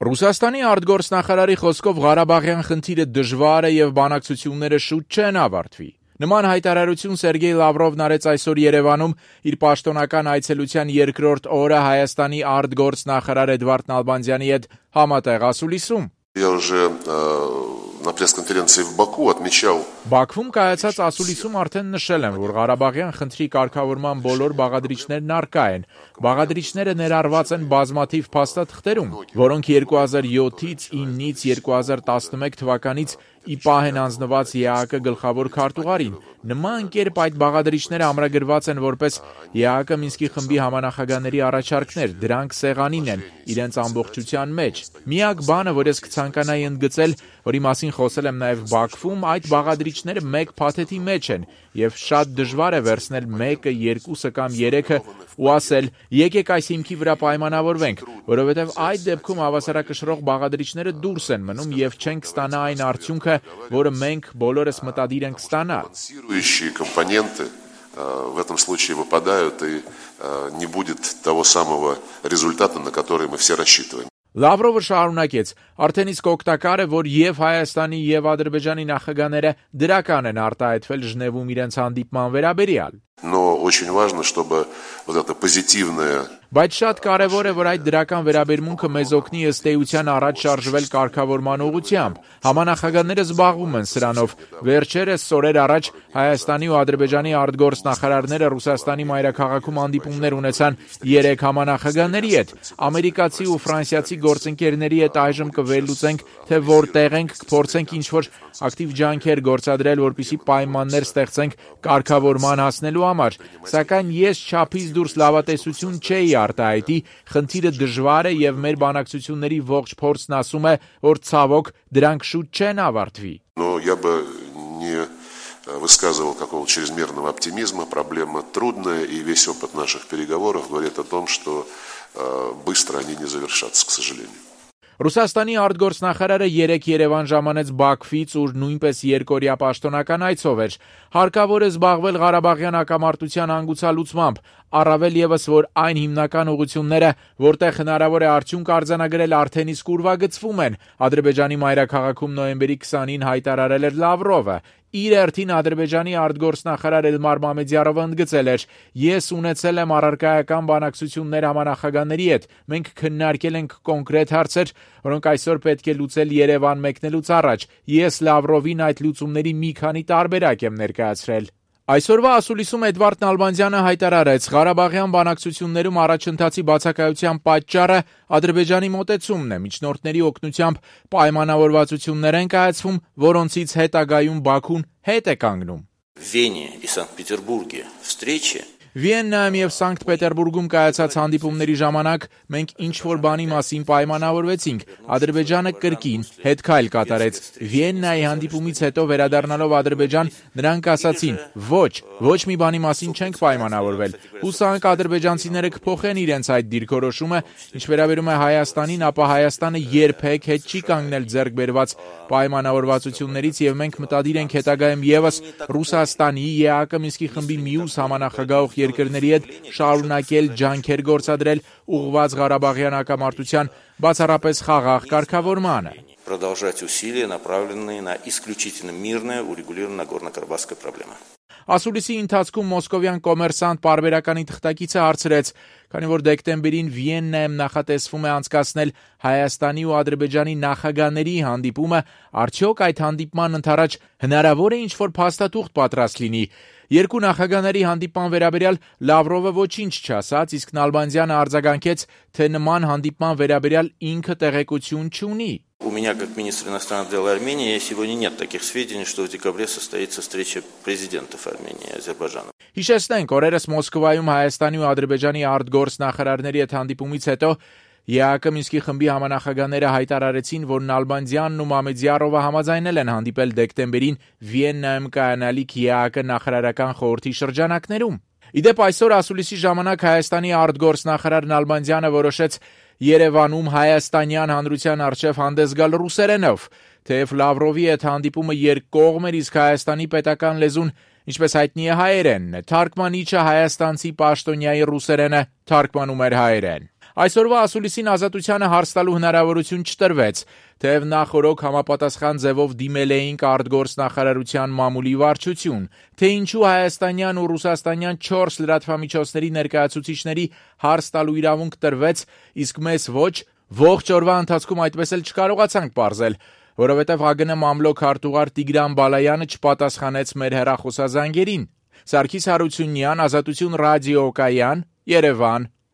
Ռուսաստանի արտգործնախարարի խոսքով Ղարաբաղյան խնդիրը դժվար է եւ բանակցությունները շուտ չեն ավարտվի։ Նման հայտարարություն Սերգեյ Լավրովն արեց այսօր Երևանում իր պաշտոնական այցելության երկրորդ օրը Հայաստանի արտգործնախարար Էդվարդ Նալբանդյանի հետ համատեղ ասուլիսում։ Я уже на пресс-конференции в Баку отмечал. Բաքվում կայացած ասուլիսում արդեն նշել եմ, որ Ղարաբաղյան խնդրի կարգավորման բոլոր բաղադրիչներն առկա են։ Բաղադրիչները ներառված են բազմաթիվ փաստաթղթերում, որոնք 2007-ից 9-ից 2011 թվականից ի պահ են անձնված ԵԱՀԿ գլխավոր քարտուղարին։ Նման կերպ այդ բաղադրիչները ամրագրված են որպես ԵԱՀԿ Մինսկի խմբի համանախագահների առաջարկներ, դրանք սեղանին են իրենց ամբողջության մեջ։ Միակ բանը, որ ես կցանկանայի ընդգծել, որի մասին խոսել եմ նաև Բաքվում, այդ բաղադրիչները մեկ փաթեթի մեջ են եւ շատ դժվար է վերցնել 1-ը, 2-ը կամ 3-ը ու ասել՝ եկեք այս հիմքի վրա պայմանավորվենք, որովհետեւ այդ դեպքում հավասարակշռող բաղադրիչները դուրս են մնում եւ չենք ստանա այն արդյունքը, որը մենք բոլորս մտադիր ենք ստանալ։ Компоненты в этом случае выпадают и не будет того самого результата, на который мы все рассчитываем. Լավրովը շարունակեց. Արդեն իսկ օգտակար է, որ եւ Հայաստանի եւ Ադրբեջանի նախագահները դրական են արտահայտվել Ժնևում իրենց հանդիպման վերաբերյալ։ Но очень важно, чтобы вот это позитивное. Բայց շատ կարևոր է, որ այդ դրական վերաբերմունքը մեզ օգնի ըստ էության առաջ շարժվել կարգավորման ուղղությամբ։ Համանախագահները զբաղվում են սրանով։ Վերջերս օրեր առաջ Հայաստանի ու Ադրբեջանի արտգործնախարարները Ռուսաստանի մայրաքաղաքում հանդիպումներ ունեցան 3 համանախագահների հետ։ Ամերիկացի ու ֆրանսիացի գործընկերների հետ այժմ կվերլուծենք, թե որտեղ ենք, կփորձենք ինչ-որ ակտիվ ջանքեր գործադրել, որպեսզի պայմաններ ստեղծենք կարգավորման հասնելու համար։ Սակայն ես չափից դուրս լավատեսություն չէի արտահայտի, խնդիրը դժվար է եւ մեր բանակցությունների ողջ փորձն ասում է, որ ցավոք դրանք շուտ չեն ավարտվի։ Но я бы не высказывал какого-то чрезмерного оптимизма, проблема трудная, и весь опыт наших переговоров говорит о том, что быстро они не завершатся, к сожалению. Ռուսաստանի արտգործնախարարը 3 Երևան ժամանեց Բաքվից, ուր նույնպես երկօրյա պաշտոնական այցով էր։ Հարկավոր է զբաղվել Ղարաբաղյան հակամարտության հանգուցալուծմամբ, առավել եւս, որ այն հիմնական ուղղությունները, որտեղ հնարավոր է արդյունք արձանագրել, արդեն իսկ ուրվագծվում են։ Ադրբեջանի մայրաքաղաքում նոյեմբերի 20-ին հայտարարել էր Լավրովը։ Իր հերթին Ադրբեջանի արտգործնախարար Էլմար Մամեդյարովը ընդգծել էր. Ես ունեցել եմ առարկայական բանակցություններ համանախագահների հետ։ Մենք քննարկել ենք կոնկրետ հարցեր, որոնք այսօր պետք է լուծել Երևան մեկնելուց առաջ։ Ես Լավրովին այդ լուծումների մի քանի տարբերակ եմ ներկայացրել։ Այսօրվա ասուլիսում Էդվարդ Նալբանդյանը հայտարարեց. Ղարաբաղյան բանակցություններում առաջընթացի բացակայության պատճառը Ադրբեջանի մոտեցումն է։ Միջնորդների օգնությամբ պայմանավորվածություններ են կայացվում, որոնցից հետագայում Բաքուն հետ է կանգնում։ Վենի и Санкт-Петербурге встречи. Վիեննայում եւ Սանկտ Պետերբուրգում կայացած հանդիպումների ժամանակ մենք ինչ-որ բանի մասին պայմանավորվեցինք։ Ադրբեջանը կրկին հետքայլ կատարեց։ Վիեննայի հանդիպումից հետո վերադառնալով Ադրբեջան, նրանք ասացին. ոչ մի բանի մասին չենք պայմանավորվել։ Հուսանք ադրբեջանցիները կփոխեն իրենց այդ դիրքորոշումը, ինչ վերաբերում է Հայաստանին, ապա Հայաստանը երբեք հետ չի կանգնել ձեռք բերված պայմանավորվածություններից եւ մենք մտադիր ենք հետագայում եւս Ռուսաստանի, ԵԱՀԿ Մինսկի խմբի մյուս համանախագահող երկրների հետ շարունակել ջանքեր գործադրել ուղղված Ղարաբաղյան հակամարտության բացառապես խաղաղ կարգավորմանը։ Продолжать усилия, направленные на исключительно мирное урегулирование Нагорно-Карабахской проблемы. Ասուլիսի ընթացքում մոսկովյան կոմերսանտ պարբերականի թղթակիցը հարցրեց, քանի որ դեկտեմբերին Վիեննայում նախատեսվում է անցկացնել Հայաստանի ու Ադրբեջանի նախագահների հանդիպումը, արդյոք այդ հանդիպման ընթരാճ հնարավոր է ինչ-որ փաստաթուղթ պատրաստ լինի։ Երկու նախագահների հանդիպման վերաբերյալ Լավրովը ոչինչ չասաց, իսկ Նալբանդյանը արձագանքեց, թե նման հանդիպման վերաբերյալ ինքը տեղեկություն չունի։ У меня, как министра иностранных дел Армении, сегодня нет таких сведений, что в декабре состоится встреча президентов Армении и Азербайджана. Հիշեցնենք, օրերս Մոսկվայում Հայաստանի ու Ադրբեջանի արտգործնախարարների հետ հանդիպումից հետո ԵԱՀԿ Մինսկի խմբի համանախագահները հայտարարեցին, որ Նալբանդյանն ու Մամեդյարովը համաձայնել են հանդիպել դեկտեմբերին Վիեննայում կայանալիք ԵԱՀԿ նախարարական խորհրդի շրջանակներում։ Իդեպ այսօր ասուլիսի ժամանակ Հայաստանի արտգործնախարար Նալբանդյանը որոշեց Երևանում հայաստանյան հանրության առջև հանդես գալ ռուսերենով, թեև Լավրովի հետ հանդիպումը երկկողմ էր, իսկ Հայաստանի պետական լեզուն, ինչպես հայտնի է, հայերենն է։ Թարգմանիչը հայաստանցի պաշտոնյայի ռուսերենը թարգմանում էր հայերեն։ Այսօրվա ասուլիսին Ազատությանը հարց տալու հնարավորություն չտրվեց, թեև նախօրոք համապատասխան ձևով դիմել էինք արտգործնախարարության մամուլի վարչություն, թե ինչու հայաստանյան ու ռուսաստանյան 4 լրատվամիջոցների ներկայացուցիչների հարց տալու իրավունք տրվեց, իսկ մեզ ոչ, ողջ օրվա ընթացքում այդպես էլ չկարողացանք պարզել, որովհետև ՀԱԳՆ մամլոք քարտուղար Տիգրան Բալայանը չպատասխանեց մեր հեռախոսազանգերին։ Սարգիս Հարությունյան, Ազատություն ռադիոկայան, Երևան։